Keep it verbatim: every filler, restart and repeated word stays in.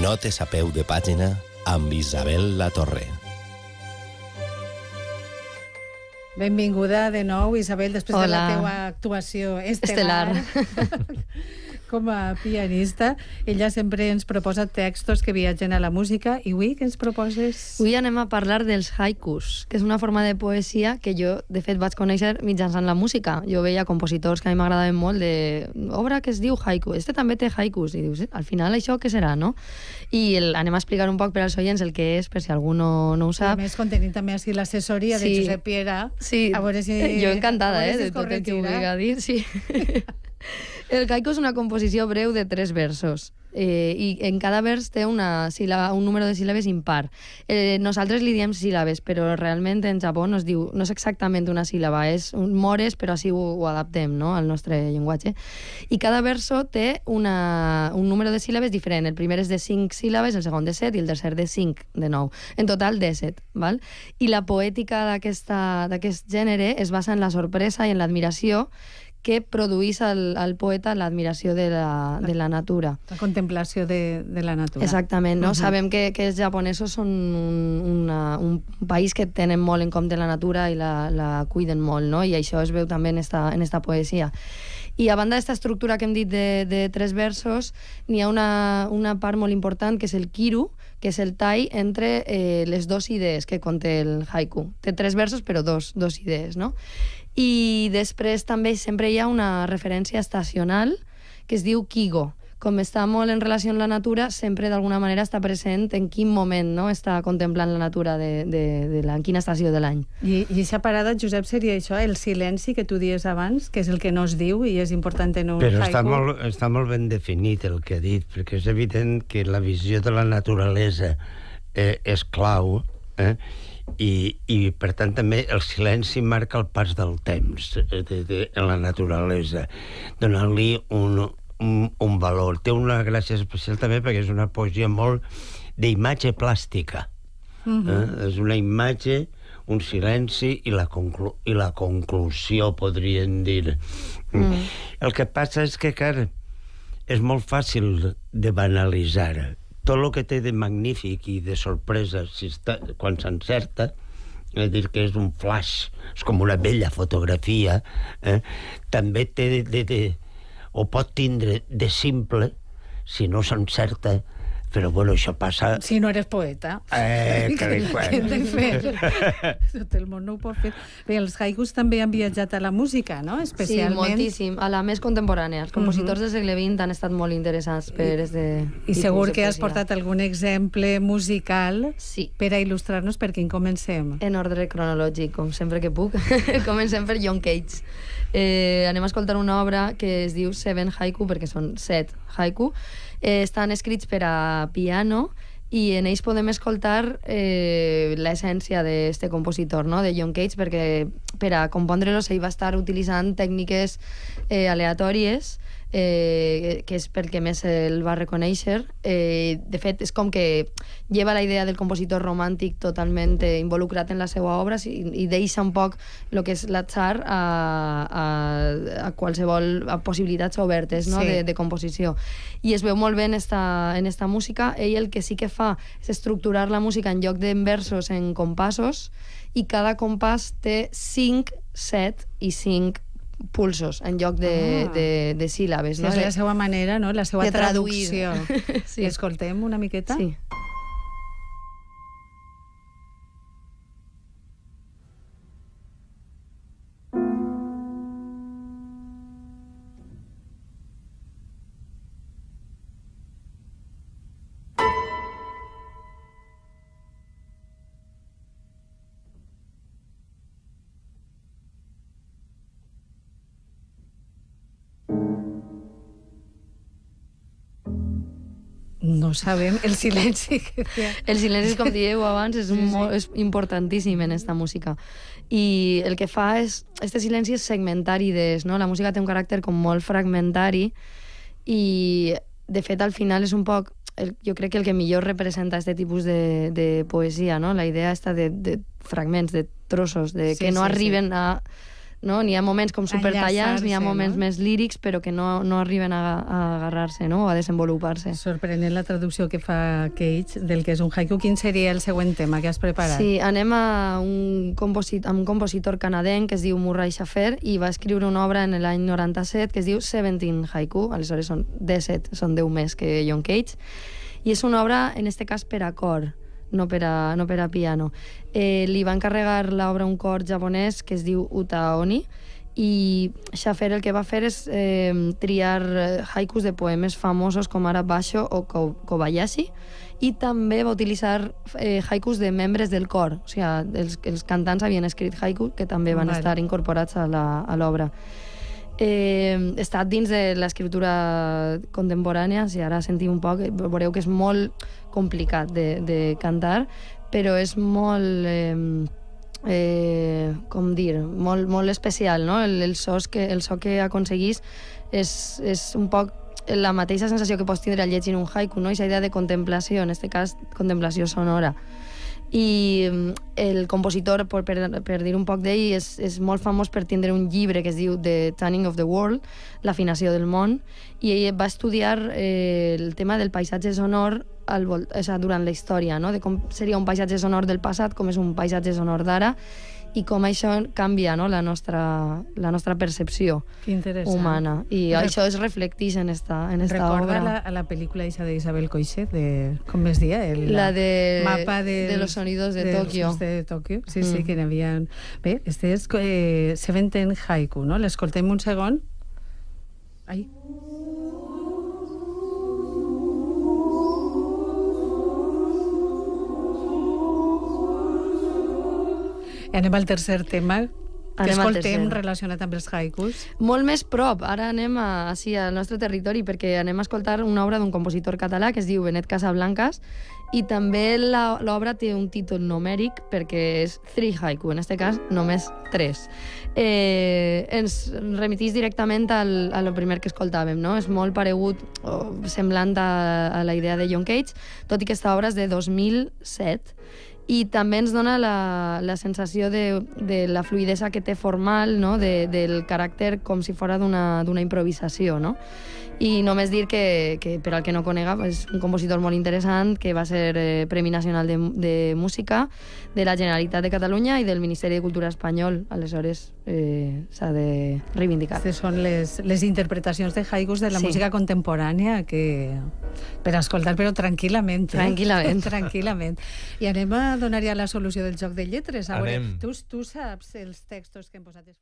Notes a peu de pàgina amb Isabel Latorre. Benvinguda de nou, Isabel, després Hola. de la teua actuació estel·lar. Estel·lar. Com a pianista. Ella sempre ens proposa textos que viatgen a la música. I avui què ens proposes? Avui anem a parlar dels haikus, que és una forma de poesia que jo, de fet, vaig conèixer mitjançant la música. Jo veia compositors que a mi m'agradaven molt de obra que es diu haiku. Este també té haikus. I dius, al final això què serà, no? I el, anem a explicar un poc per als oients el que és, per si algú no, no ho sap. I a més, contenim també així l'assessoria Sí. de Josep Piera. Sí, a veure si, jo encantada, a veure eh, si de es tot el que ho corregirà. vulgui dir, sí. El haiku és una composició breu de tres versos. Eh, i en cada vers té una síl·laba, un número de síl·labes impar. Eh, nosaltres li diem síl·labes, però realment en Japó no es diu, no és exactament una síl·laba, és un mores, però així ho, ho adaptem, no?, al nostre llenguatge. I cada verso té una, un número de síl·labes diferent. El primer és de cinc síl·labes, el segon de set i el tercer de cinc, de nou. En total, disset, val? I la poètica d'aquest gènere es basa en la sorpresa i en l'admiració que produís al, al poeta l'admiració de, la, de la natura. La contemplació de, de la natura. Exactament, no? Uh-huh. Sabem que, que els japonesos són un, una, un país que tenen molt en compte la natura i la, la cuiden molt, no? I això es veu també en esta, en esta poesia. I a banda d'esta estructura que hem dit de, de tres versos, n'hi ha una, una part molt important, que és el kiru, que és el tall entre eh, les dues idees que conté el haiku. Té tres versos, però dos, dos idees, no? I després també sempre hi ha una referència estacional que es diu kigo. Com està molt en relació amb la natura, sempre d'alguna manera està present en quin moment, no?, està contemplant la natura de, de, de la, en quina estació de l'any. I, I aquesta parada, Josep, seria això, el silenci que tu dies abans, que és el que no es diu i és important en un Però haiku. està molt, està molt ben definit el que ha dit, perquè és evident que la visió de la naturalesa eh, és clau, eh? I, i per tant també el silenci marca el pas del temps de, de, en la naturalesa, donant-li un, un, un valor. Té una gràcia especial també perquè és una poesia molt d'imatge plàstica. Uh-huh. eh? És una imatge, un silenci i la, conclu i la conclusió, podríem dir. Mm. El que passa és que, clar, és molt fàcil de banalitzar. Tot el que té de magnífic i de sorpresa si està, quan s'encerta, és dir, que és un flash, és com una bella fotografia, eh? També té de, de, de, o pot tindre de simple si no s'encerta, però bueno, això passa... Si no eres poeta. Eh, que li Què hem de fer? Tot el món no ho pot fer. Bé, els haikus també han viatjat a la música, no? Especialment... Sí, moltíssim. A la més contemporània. Els compositors Uh-huh. del segle vint han estat molt interessants per este I segur que has portat algun exemple musical Sí. per a il·lustrar-nos per quin comencem. En ordre cronològic, com sempre que puc. Comencem per John Cage. Eh, anem a escoltar una obra que es diu Seven Haiku, perquè són set haiku. Eh, estan escrits per a piano i en ells podem escoltar eh, l'essència d'este compositor, no?, de John Cage, perquè per a compondre-los ell va estar utilitzant tècniques eh, aleatòries, eh, que és pel que més el va reconèixer. Eh, de fet, és com que lleva la idea del compositor romàntic totalment eh, involucrat en la seva obra i, i deixa un poc el que és l'atzar a, a, a qualsevol a possibilitats obertes, no?, Sí. de, de composició. I es veu molt bé en esta, en esta música. Ell el que sí que fa és estructurar la música en lloc d'en versos en compassos, i cada compàs té cinc, set i cinc pulsos en lloc de, Ah. de, de síl·labes. Sí, No? és la seva manera, no? La seva de traduir. traducció. Sí. Escoltem una miqueta? Sí. No sabem el silenci que té. El silenci, com dieu abans, és, Sí, sí. molt, és importantíssim en esta música. I el que fa és... Este silenci és segmentar idees, no? La música té un caràcter com molt fragmentari i, de fet, al final és un poc... El, jo crec que el que millor representa aquest tipus de, de poesia, no? La idea esta de, de fragments, de trossos, de Sí, que no sí, arriben sí. a no? N'hi ha moments com supertallants, n'hi ha moments no? més lírics, però que no, no arriben a, a agarrar-se, no? O a desenvolupar-se. Sorprenent la traducció que fa Cage del que és un haiku. Quin seria el següent tema que has preparat? Sí, anem a un, composit, a un compositor canadenc que es diu Murray Schafer i va escriure una obra en l'any noranta-set que es diu Seventeen Haiku, aleshores són disset, són deu més que John Cage, i és una obra, en este cas, per a cor, no per a, no per a piano. Eh, li va encarregar l'obra a un cor japonès que es diu Utaoni, i Schafer el que va fer és eh, triar haikus de poemes famosos com ara Basho o Kobayashi, i també va utilitzar eh, haikus de membres del cor, o sigui, els, els cantants havien escrit haikus que també van vale. estar incorporats a l'obra. Eh, està dins de l'escriptura contemporània, si ara sentiu un poc, veureu que és molt complicat de, de cantar, però és molt, eh, eh, com dir, molt, molt especial, no? El, el, sos que, el so que aconseguís és, és un poc la mateixa sensació que pots tindre al llegir un haiku, no? Aquesta idea de contemplació, en aquest cas, contemplació sonora. I el compositor, per, per, per dir un poc d'ell, és, és molt famós per tindre un llibre que es diu The Tuning of the World, l'afinació del món, i ell va estudiar eh, el tema del paisatge sonor al vol, o sigui, durant la història, no? De com seria un paisatge sonor del passat, com és un paisatge sonor d'ara, i com això canvia, no? la, nostra, la nostra percepció humana. I Rec això es reflecteix en esta, en esta Recorda obra. Recorda la, la pel·lícula esa d'Isabel Coixet, de, com es dia? El, la de, mapa de, de los sonidos de, de Tokio. de Tokio. Sí, mm. sí, que n'hi havia... Bé, este és eh, Seventeen Haiku, no? L'escoltem un segon. Ai. I anem al tercer tema que anem escoltem relacionat amb els haikus. Molt més prop. Ara anem a, així, al nostre territori perquè anem a escoltar una obra d'un compositor català que es diu Benet Casablancas i també l'obra té un títol numèric perquè és Three Haiku, en aquest cas només tres. Eh, ens remetís directament al, a lo primer que escoltàvem, no? És molt paregut o semblant a, a la idea de John Cage, tot i que aquesta obra és de dos mil set. I també ens dona la, la sensació de, de la fluidesa que té formal, no? de, del caràcter com si fos d'una improvisació, no? I només dir que, que per al que no conega, és un compositor molt interessant que va ser eh, Premi Nacional de, de Música de la Generalitat de Catalunya i del Ministeri de Cultura espanyol. Aleshores, eh, s'ha de reivindicar. Aquestes són les, les interpretacions de haikus de la sí. música contemporània que per escoltar, però tranquil·lament. Eh? Tranquil·lament. tranquil·lament. I anem a donar ja la solució del joc de lletres. A veure, Anem. tu, tu saps els textos que hem posat...